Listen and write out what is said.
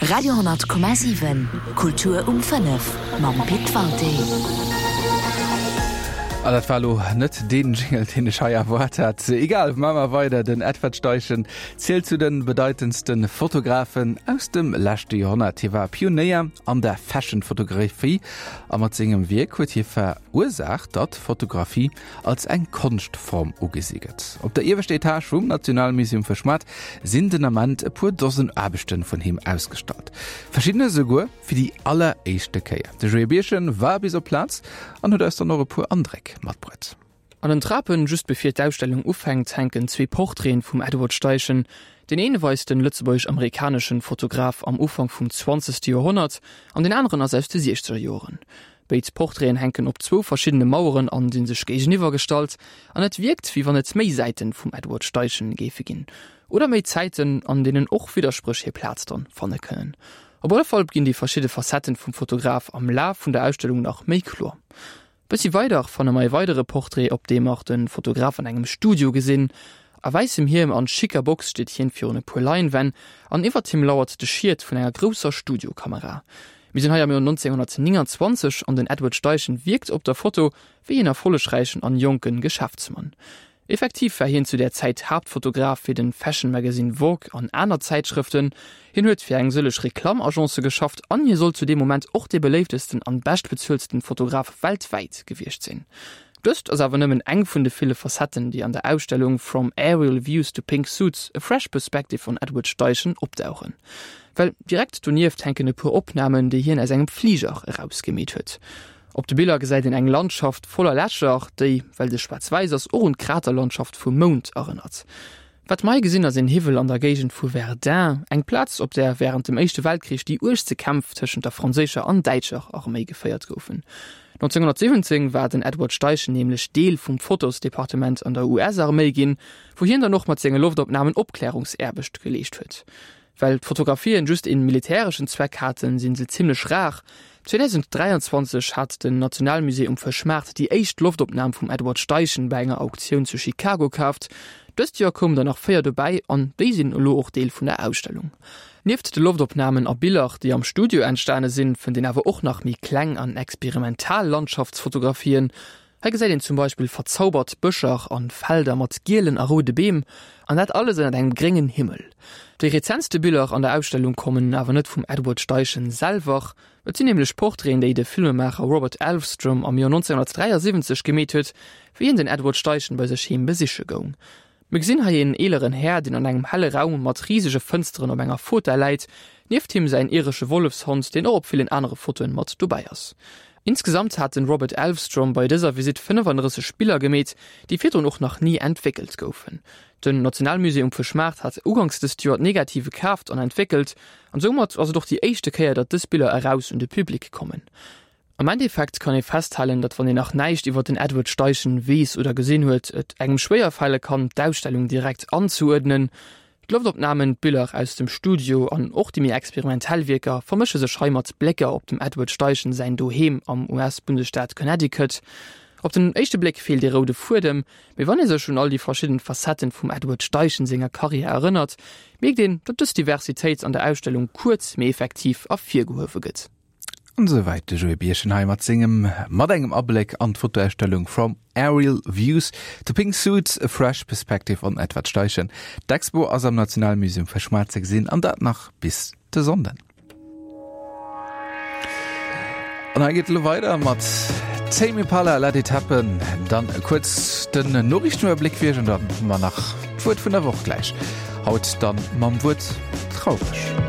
Radio 10,7 Kultur um 5 mam Pit Walté. An dat war elo net deen Jingle, deen ech hei erwaart hat. Egal, maache mer weider. Den Edward Steichen zielt zu de bedeitendste Fotografen aus dem leschte Joerhonnert. Hie war Pionéier an der Fashion-Fotografie a mat sengem Wierk huet hie verursaacht, datt Fotografie als eng Konschtform ugesi gëtt. Op der ieweschter Etage vum Nationalmuseum Fëschmaart sinn den Ament e puer Dosen Aarbechte vun him ausgestallt, verschiddener esouguer fir déi alleréischte Kéier. De Joé Birchen war bis op d'Plaz an huet eis dann och e puer Andréck matbruet. An den Trapen, just bevir d'Ausstellung ufänkt, hänken zwee Portraiten vum Edward Steichen. Deen een weist den lëtzebuergesch-amerikaneschen Fotograf am Ufank vum zwanzegste Joerhonnert an deen aneren ass aus de siechzeger Joeren. Béid Portraiten hänken op zwou verschiddene Maueren an sinn sech géigeniwwer gestallt, an et wierkt wéi wann et méi Säiten vum Edward Steichen géife ginn. Oder méi Zäiten, an deenen och Widderspréch hir Plaz dann fanne kënnen. Op alle Fall ginn déi verschidde Facetten vum Fotograf am Laf vun der Ausstellung nach méi kloer. Bëssi weider fanne mer e weidere Portrait, op deem mer de Fotograf an engem Studio gesinn. A wäissem Hiem an schicker Box steet hien virun e puer Leinwänn an iwwert him lauert de Schiet vun enger grousser Studiokamera. Mir sinn hei am Joer 1929 an den Edward Steichen wierkt op der Foto wéi een erfollegräichen an jonken Geschäftsmann. Effektiv war hien zu där Zäit Haaptfotograf fir den Fashion Magazine Vogue an aner Zäitschrëften. Hien huet fir eng sëlleg Reklamm-Agencë geschafft an hie soll zu deem Moment och dee beléiftesten an beschtbezueltsten Fotograf weltwäit gewiescht sinn. Dëst ass awer nëmmen eng vun de ville Facetten, déi an der Ausstellung From Aerial Views to Pink Suits, A Fresh Perspective on Edward Steichen opdauchen. Well direkt donieft hänken e puer Opnamen, déi hien aus engem Fliger eraus gemeet huet. Op de Biller gesäit een eng Landschaft voller Lächer, déi, well se schwaarz-wäiss ass, och un d'Kraterlandschaft vum Mound erënnert. Wat mer hei gesinn ass een Hiwwel an der Géigend vu Verdun, eng Plaz, op där wärend dem Éischte Weltkrich déi uergste Kämpf tëschent der franséischer an däitscher Arméi geféiert goufen. 1917 war den Edward Steichen nämlech Deel vum Fotosdepartement an der US-Arméi ginn, wou hien dann och mat senge Loftopnamen Opklärungsaarbecht geleescht huet. Well d'Fotografien just een militäreschen Zweck haten, sinn se zimmlech rar. 2023 hat den Nationalmusée um Fëschmaart déi éischt Loftopnam vum Edward Steichen bei enger Auktioun zu Chicago kaaft. Dëst Joer koumen der nach 4 dobäi an déi sinn elo och Deel vun der Ausstellung. Nieft de Loftopnamen a Biller, déi am Studio entstane sinn, fënnt een awer och nach méi kleng an experimental Landschaftsfotografien. Hei gesäit een zum Beispill verzaubert Bëscher an Felder mat gielen a roude Beem, an dat alles ënnert engem gréngen Himmel. Déi rezentste Biller an der Ausstellung kommen awer net vum Edward Steichen selwer. Et sinn nämlech Portraiten, déi de Filmemaacher Robert Elfstrom am Joer 1973 gemeet huet, wéi hien den Edward Steichen bei sech heem besiche goung. Mir gesinn hei een eeleren Här, deen an engem helle Raum mat risege Fënsteren op enger Fotell läit. Nieft him säin iresche Wollefshond, deen och op villen anere Fotoen mat dobäi ass. Insgesamt hat den Robert Elfstrom bei dëser Visitt 35 Biller gemeet, déi virdrun och nach ni entwéckelt goufen. Den Nationalmusée um Fëschmaart hat uganks dëst Joer d'Negative kaaft an entwéckelt, an soumat ass et och déi éischte Kéier, datt dës Biller eraus un de Public kommen. Am Endeffekt kann ee festhalen, datt wann een nach näischt iwwer den Edward Steichen weess oder gesinn huet, et engem schwéier fale kann, d'Ausstellung direkt anzeuerdnen. D'Loftopnamen, d'Biller aus dem Studio an och déi méi experimentell Wierker vermësche sech hei mat Blécker op dem Edward Steichen säin Doheem am US-Bundesstaat Connecticut. Op den éischte Bléck feelt ee roude Fuedem, mee wann ee sech un all déi verschidden Facetten vum Edward Steichen senger Karriär erënnert, mierkt een, datt dës Diversitéit an der Ausstellung kuerz, mee effektiv ervirgehuewe gëtt. An esouwäit de Joé Birchen hei mat sengem mat engem Abléck an d'Fotoausstellung From Aerial Views to Pink Suits, A Fresh Perspective on Edward Steichen. D'Expo ass am Nationalmuseum Fëschmaart ze gesinn an dat nach bis de Sonnden. An hei geet elo weider mat Tame Impala, Let It Happen. Dann kuerz den Noriichtenuewerbléck fir iech an dann hu mer nach d'Wuert vun der Woch gläich. Haut dann mam Wuert traureg.